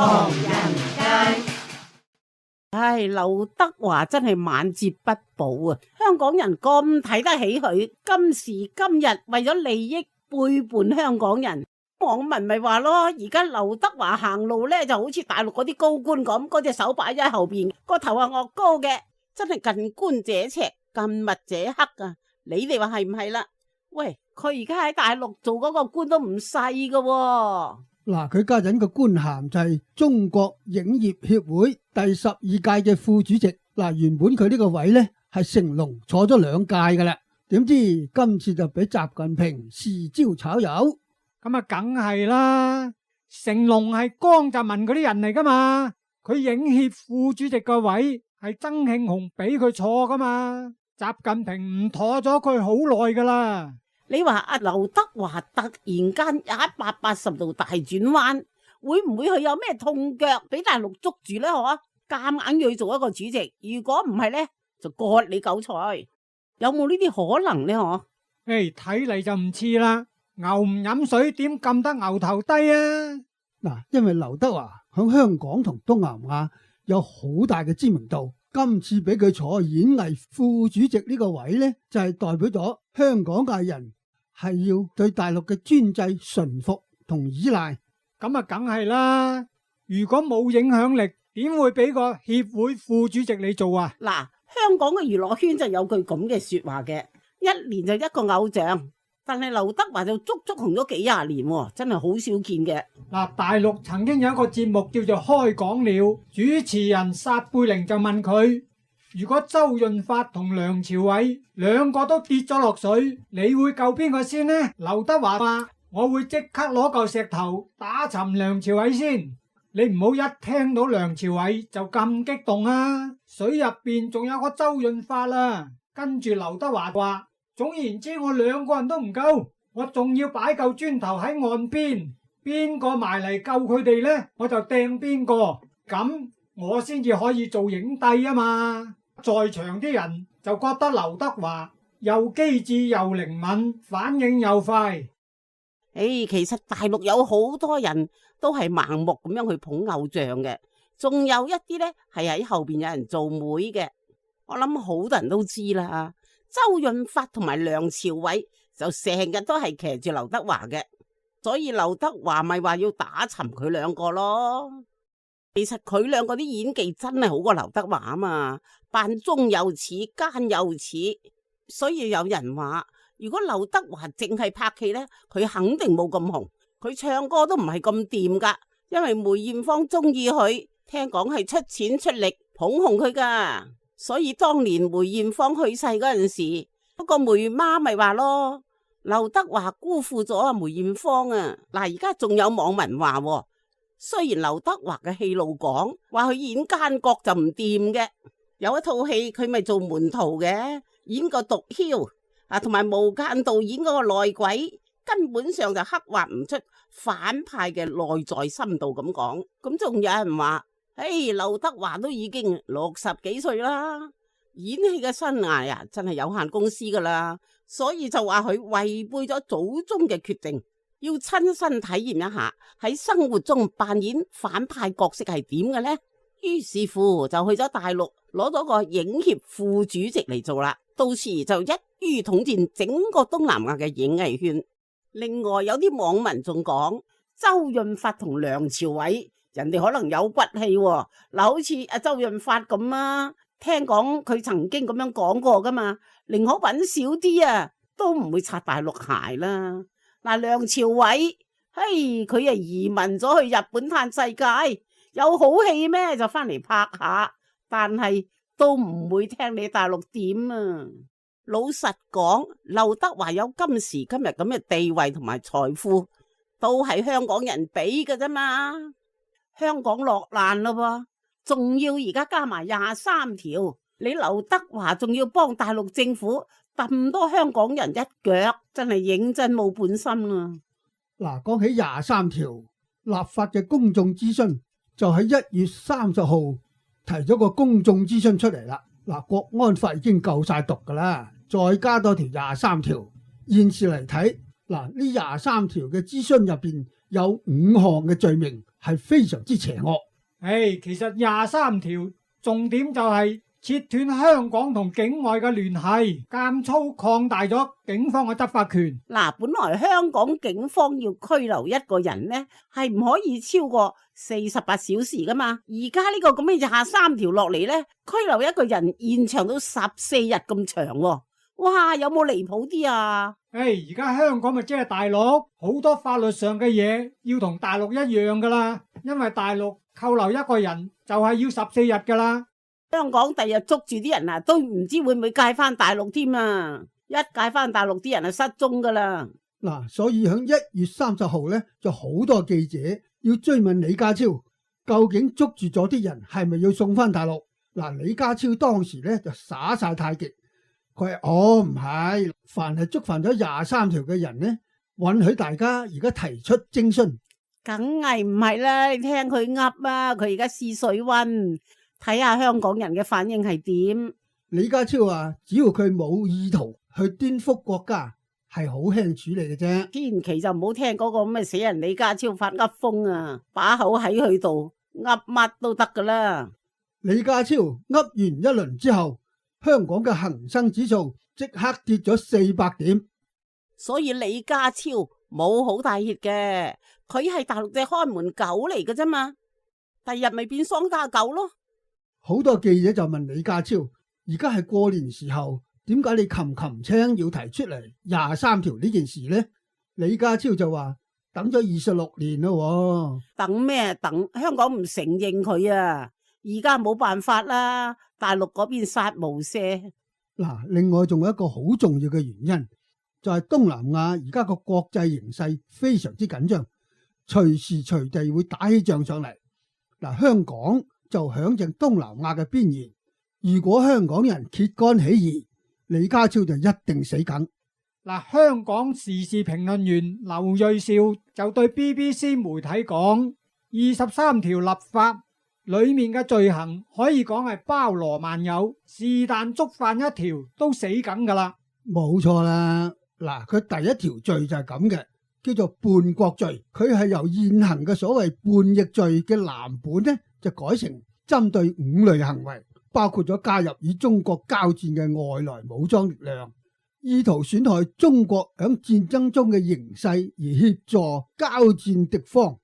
唐人街。唉，劉德華真係晚節不保啊！香港人咁睇得起佢，今時今日為咗利益背叛香港人，網民咪話咯，而家劉德華行路呢就好似大陸嗰啲高官咁，嗰隻手擺咗喺後邊，個頭係惡高嘅，真係近觀者赤，近墨者黑啊！你哋話係唔係啦？喂，佢而家喺大陸做嗰個官都唔細噶喎。嗱，佢家陣個官銜就係中國影業協會第12屆嘅副主席。嗱，原本佢呢個位呢係成龍坐咗2屆噶啦，點知今次就俾習近平豉椒炒魷。咁啊，梗係啦，成龍係江澤民嗰啲人嚟噶嘛，佢影協副主席個位係曾慶紅俾佢坐噶嘛，習近平唔妥咗佢好耐噶啦。你話阿劉德華突然間180度大轉彎，會唔會佢有咩痛腳俾大陸捉住呢？嗬，夾硬要去做一個主席，如果唔係呢，就割你韭菜，有冇呢啲可能呢？嗬？睇嚟就唔似啦，牛唔飲水點撳得牛頭低啊？嗱，因為劉德華響香港同東南亞有好大嘅知名度，今次俾佢坐演藝副主席呢個位呢，就係代表咗香港嘅人係要對大陸嘅專制順服同依賴。咁啊，梗係啦，如果冇影響力，點會俾個協會副主席你做啊？嗱，香港嘅娛樂圈就有句咁嘅說話嘅，一年就一個偶像，但係劉德華就足足紅咗幾廿年，真係好少見嘅。嗱，大陸曾經有一個節目叫做開講了，主持人撒貝寧就問佢，如果周潤發同梁朝偉兩個都跌咗落水，你會救邊個先呢？劉德華話：我會即刻攞嚿石頭打沉梁朝偉先。你唔好一聽到梁朝偉就咁激動啊！水入邊仲有個周潤發啦。跟住劉德華話：總言之，我兩個人都唔夠，我仲要擺嚿磚頭喺岸邊，邊個埋嚟救佢哋呢，我就掟邊個，咁我先至可以做影帝啊嘛！在場啲人就覺得劉德華又機智又靈敏，反應又快。其實大陸有好多人都係盲目咁樣去捧偶像嘅，仲有一啲呢係喺後邊有人做媒嘅。我諗好多人都知啦，周潤發同埋梁朝偉就成日都係騎住劉德華嘅，所以劉德華咪話要打沉佢兩個咯。其實佢兩個啲演技真係好過劉德華啊嘛，扮忠又似，奸又似，所以有人話如果劉德華淨係拍戲呢，佢肯定冇咁紅，佢唱歌都唔係咁掂噶，因為梅艷芳中意佢，聽講係出錢出力捧紅佢噶，所以當年梅艷芳去世嗰陣時，嗰個梅媽咪話咯，劉德華辜負咗阿梅艷芳啊。嗱，而家仲有網民話，雖然劉德華嘅戲路講話佢演奸角就唔掂嘅，有一套戲佢咪做門徒嘅，演個毒梟啊，同埋無間道演嗰個內鬼，根本上就刻畫唔出反派嘅內在深度咁講。咁仲有人話，劉德華都已經60幾歲啦，演戲嘅生涯啊真係有限公司噶啦，所以就話佢違背咗祖宗嘅決定，要親身體驗一下喺生活中扮演反派角色係點嘅呢？於是乎就去咗大陸攞咗個影協副主席嚟做啦，到時就一於統戰整個東南亞嘅演藝圈。另外有啲網民仲講，周潤發同梁朝偉人哋可能有骨氣喎，嗱，好似阿周潤發咁啊，聽講佢曾經咁樣講過噶嘛，寧可搵少啲啊，都唔會擦大陸鞋啦。嗱，梁朝偉，佢啊移民咗去日本嘆世界，有好戲咩就翻嚟拍下，但係都唔會聽你大陸點啊。老實講，劉德華有今時今日咁嘅地位同埋財富，都係香港人俾嘅啫嘛。香港落難咯噃，仲要而家加埋23條，你劉德華仲要幫大陸政府揼多香港人一腳，真係認真冇本心啦。嗱，講起23條立法嘅公眾諮詢，就喺1月30號提咗個公眾諮詢出嚟啦。嗱，國安法已經夠晒毒噶啦，再加多條23條。現時嚟睇，嗱，呢23條嘅諮詢入邊有5項嘅罪名係非常之邪惡。其實23條重點就係切斷香港同境外嘅聯繫，監粗擴大咗警方嘅執法權。嗱，本來香港警方要拘留一個人呢，係唔可以超過48小時噶嘛。而家呢個咁嘅23條落嚟呢，拘留一個人延長到14日咁長喎。哇，有冇離譜啲啊？而家香港咪即係大陸，好多法律上嘅嘢要同大陸一樣噶啦，因為大陸扣留一個人就係要14日噶啦。香港第日捉住啲人啊，都唔知會唔會介翻大陸添啊！一介翻大陸啲人啊，失蹤噶啦。嗱，所以喺1月30號咧，就好多記者要追問李家超，究竟捉住咗啲人係咪要送翻大陸？嗱，李家超當時咧就耍晒太極，佢話唔係，凡係觸犯咗23條嘅人呢，允許大家而家提出徵詢。梗係唔係啦，你聽佢噏啊，佢而家試水溫。睇下香港人嘅反應係點？李家超話，只要佢冇意圖去顛覆國家，係好輕處理嘅啫。千祈就唔好聽嗰個咁嘅死人李家超發噏風啊，把口喺佢度噏乜都得噶啦。李家超噏完一輪之後，香港嘅恒生指數即刻跌咗400點。所以李家超冇好大熱嘅，佢係大陸隻看門狗嚟嘅啫嘛，第日咪變喪家狗咯。好多記者就問李家超，而家係過年時候，點解你擒青要提出嚟23條呢件事呢？李家超就話等咗26年咯。等咩等？香港唔承認佢啊，而家冇辦法啦，大陸嗰邊殺無赦。嗱，另外仲有一個好重要嘅原因，就係東南亞而家個國際形勢非常之緊張，隨時隨地會打起仗上嚟。嗱，香港就響正東南亞嘅邊緣，如果香港人揭竿起義，李家超就一定死梗。嗱，香港時事評論員劉銳紹就對 BBC 媒體講，23條立法裏面嘅罪行可以講係包羅萬有，是但觸犯一條都死梗噶啦。冇錯啦，嗱，佢第一條罪就係咁嘅，叫做叛國罪，佢係由現行嘅所謂叛逆罪嘅藍本呢，就改成針對5類行為，包括咗加入與中國交戰嘅外來武裝力量，意圖損害中國響戰爭中嘅形勢而協助交戰敵方，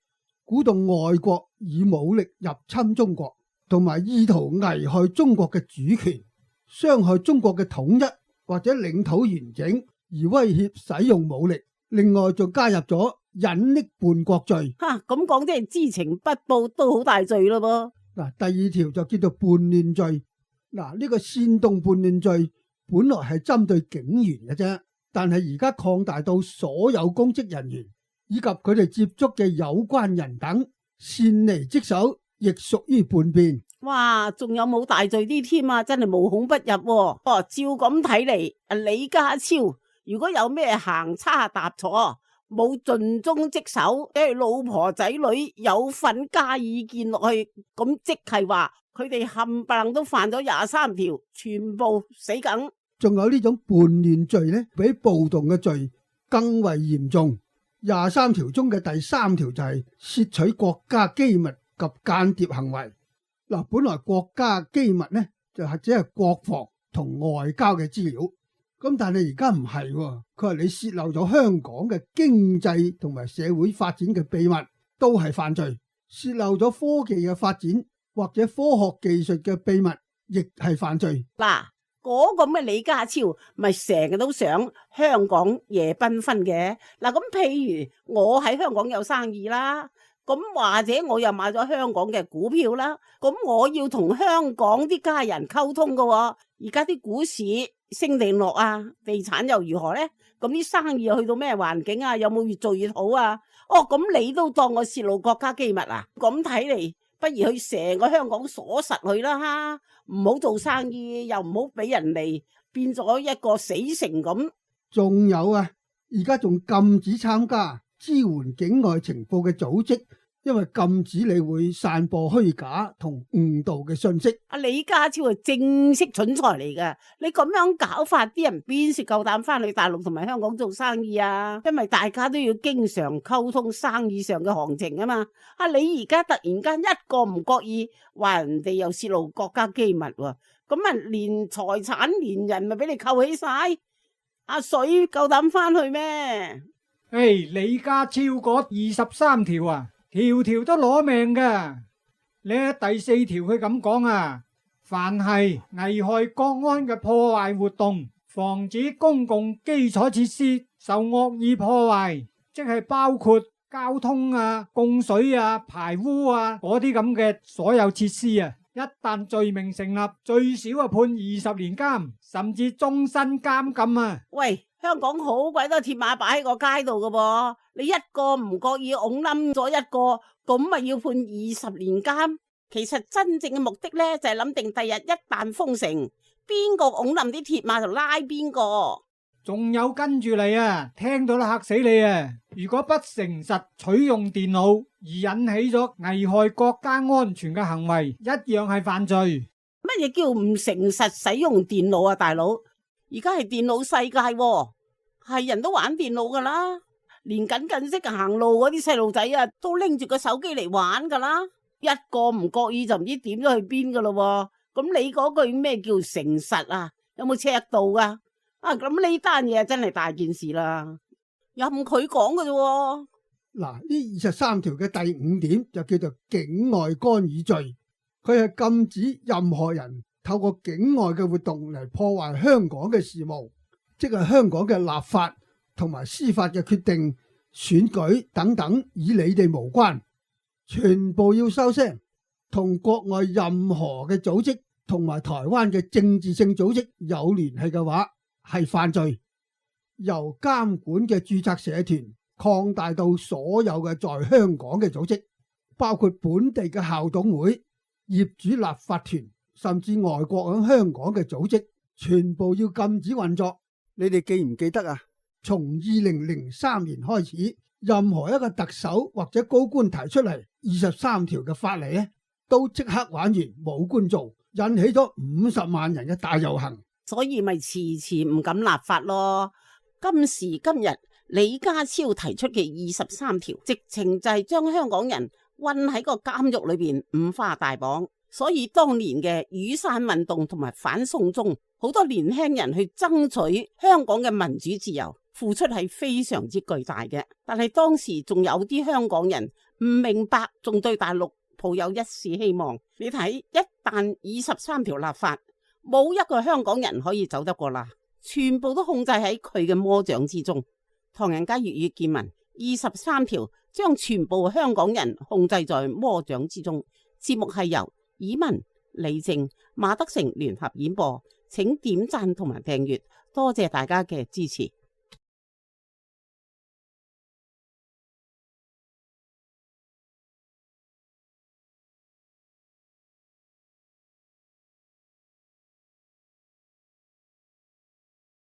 鼓動外國以武力入侵中國，同埋意圖危害中國嘅主權，傷害中國嘅統一或者領土完整而威脅使用武力。另外仲加入咗隱匿叛國罪。咁講即係知情不報都好大罪咯噃。嗱，第2條就叫做叛亂罪。嗱，呢個煽動叛亂罪本來係針對警員嘅啫，但係而家擴大到所有公職人員以及佢哋接觸嘅有關人等，擅離職守亦屬於叛變。哇，仲有冇大罪啲添啊？真係無孔不入喎。照咁睇嚟，李家超如果有咩行差踏錯，冇盡忠職守，老婆仔女有份加意見落去，咁即係話佢哋冚唪唥都犯咗23條，全部死梗。仲有呢種叛亂罪呢，比暴動嘅罪更為嚴重。23條中嘅第3條就係竊取國家機密及間諜行為。嗱，本來國家機密呢就係只係國防同外交嘅資料，咁但係而家唔係，佢話你洩漏咗香港嘅經濟同埋社會發展嘅秘密都係犯罪，洩漏咗科技嘅發展或者科學技術嘅秘密亦係犯罪。嗱，嗰個咩李家超咪成日都想香港夜繽紛嘅。嗱，咁譬如我喺香港有生意啦，咁或者我又買咗香港嘅股票啦，咁我要同香港啲家人溝通㗎喎。而家啲股市升定落啊，地產又如何呢？咁啲生意又去到咩環境啊？有冇越做越好啊？咁你都當我泄露國家機密啊？咁睇嚟，不如去成個香港鎖實佢啦，唔好做生意，又唔好俾人嚟變咗一個死城咁。仲有啊，而家仲禁止參加支援境外情報嘅組織，因為禁止你會散播虛假同誤導嘅信息。阿李家超係正式蠢材嚟噶，你咁樣搞法，啲人邊時夠膽翻去大陸同埋香港做生意啊？因為大家都要經常溝通生意上嘅行情啊嘛。你而家突然間一個唔覺意話人哋又泄露國家機密喎，咁連財產連人咪俾你扣起晒？阿水夠膽翻去咩？李家超嗰23條啊，條條都攞命噶。呢第4條佢咁講啊，凡係危害國安嘅破壞活動，防止公共基礎設施受惡意破壞，即係包括交通啊、供水啊、排污啊嗰啲咁嘅所有設施啊，一旦罪名成立，最少判20年監，甚至終身監禁啊！喂，香港好鬼多鐵馬擺喺個街度噶噃，你一個唔覺意拱冧咗一個，咁咪要判20年監？其實真正嘅目的呢，就係諗定第日一旦封城，邊個拱冧啲鐵馬就拉邊個。仲有跟住你啊，聽到都嚇死你啊！如果不誠實取用電腦而引起咗危害國家安全嘅行為，一樣係犯罪。乜嘢叫唔誠實使用電腦啊，大佬？而家係電腦世界喎，係人都玩電腦噶啦，連緊識行路嗰啲細路仔啊，都拎住個手機嚟玩噶啦，一個唔覺意就唔知點咗去邊噶咯。咁你嗰句咩叫誠實啊？有冇尺度噶？咁呢單嘢真係大件事啦，任佢講嘅啫。嗱，呢23條嘅第5點就叫做境外干預罪，佢係禁止任何人透過境外嘅活動嚟破壞香港嘅事務，即係香港嘅立法同埋司法嘅決定、選舉等等，與你哋無關，全部要收聲。同國外任何嘅組織同埋台灣嘅政治性組織有聯繫嘅話，係犯罪。由監管嘅註冊社團擴大到所有嘅在香港嘅組織，包括本地嘅校董會、業主立法團，甚至外國喺香港嘅組織，全部要禁止運作。你哋記唔記得啊？從2003年開始，任何一個特首或者高官提出嚟23條嘅法例咧，都即刻玩完冇官做，引起咗50萬人嘅大遊行。所以咪遲遲唔敢立法咯。今時今日李家超提出嘅23條，直情就係將香港人困喺個監獄裏邊五花大綁。所以當年嘅雨傘運動同埋反送中，好多年輕人去爭取香港嘅民主自由，付出係非常之巨大嘅。但係當時仲有啲香港人唔明白，仲對大陸抱有一絲希望。你睇，一旦23條立法，冇一個香港人可以走得過啦，全部都控制喺佢嘅魔掌之中。唐人街粵語見聞23條將全部香港人控制在魔掌之中。節目係由以文、李靜、馬德成聯合演播，請點讚同埋訂閱，多謝大家嘅支持。